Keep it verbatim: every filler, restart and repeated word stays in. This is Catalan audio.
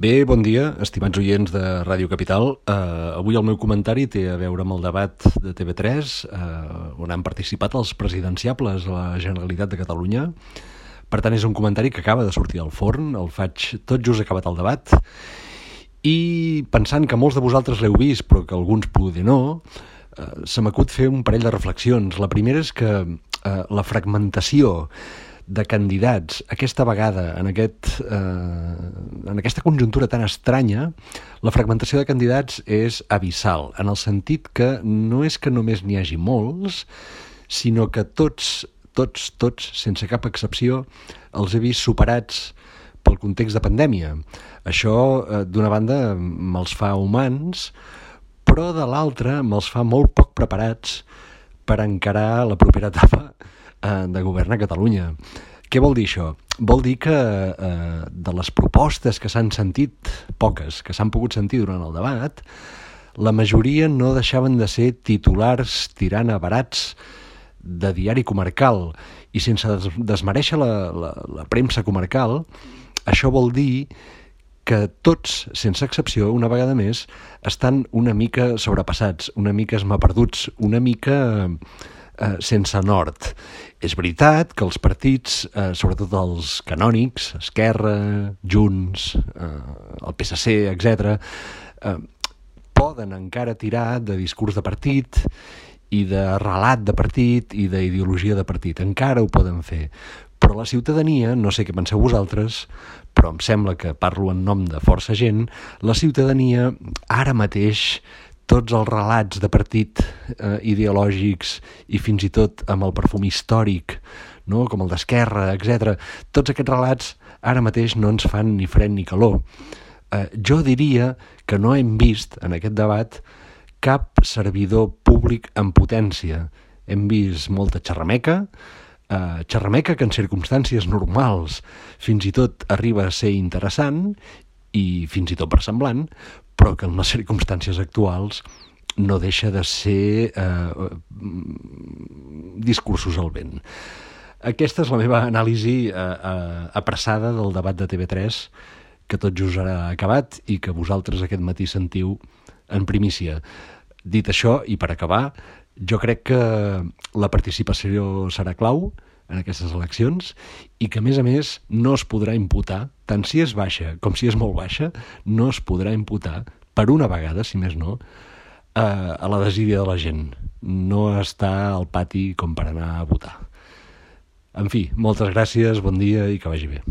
Bé, bon dia, estimats oients de Ràdio Capital. Uh, avui el meu comentari té a veure amb el debat de T V tres, uh, on han participat els presidenciables a la Generalitat de Catalunya. Per tant, és un comentari que acaba de sortir al forn, el faig tot just acabat el debat, i pensant que molts de vosaltres l'heu vist, però que alguns poder no, uh, se m'acut fer un parell de reflexions. La primera és que uh, la fragmentació de candidats aquesta vegada en, aquest, eh, en aquesta conjuntura tan estranya, la fragmentació de candidats és abissal, en el sentit que no és que només n'hi hagi molts, sinó que tots, tots, tots, sense cap excepció, els he vist superats pel context de pandèmia. Això, eh, d'una banda, me'ls fa humans, però de l'altra me'ls fa molt poc preparats per encarar la propera etapa de govern a Catalunya. Què vol dir això? Vol dir que eh, de les propostes que s'han sentit, poques, que s'han pogut sentir durant el debat, la majoria no deixaven de ser titulars tirant a barats de diari comarcal, i sense des desmereixer la, la, la premsa comarcal, això vol dir que tots, sense excepció, una vegada més, estan una mica sobrepassats, una mica esmaperduts, una mica Eh, sense nord. És veritat que els partits, eh, sobretot els canònics, Esquerra, Junts, eh, el P S C, etcètera, eh, poden encara tirar de discurs de partit i de relat de partit i d'ideologia de partit. Encara ho poden fer. Però la ciutadania, no sé què penseu vosaltres, però em sembla que parlo en nom de força gent, la ciutadania ara mateix tots els relats de partit eh, ideològics i fins i tot amb el perfum històric, no? Com el d'Esquerra, etcètera. Tots aquests relats ara mateix no ens fan ni fred ni calor. Eh, jo diria que no hem vist en aquest debat cap servidor públic en potència. Hem vist molta xerrameca, eh, xerrameca que en circumstàncies normals fins i tot arriba a ser interessant i fins i tot versemblant, però que en les circumstàncies actuals no deixa de ser eh, discursos al vent. Aquesta és la meva anàlisi eh, eh, apressada del debat de T V tres, que tot just ha acabat i que vosaltres aquest matí sentiu en primícia. Dit això, i per acabar, jo crec que la participació serà clau en aquestes eleccions i que, a més a més, no es podrà imputar, tant si és baixa com si és molt baixa, no es podrà imputar, per una vegada, si més no, a, a la desídia de la gent. No està al pati com per anar a votar. En fi, moltes gràcies, bon dia i que vagi bé.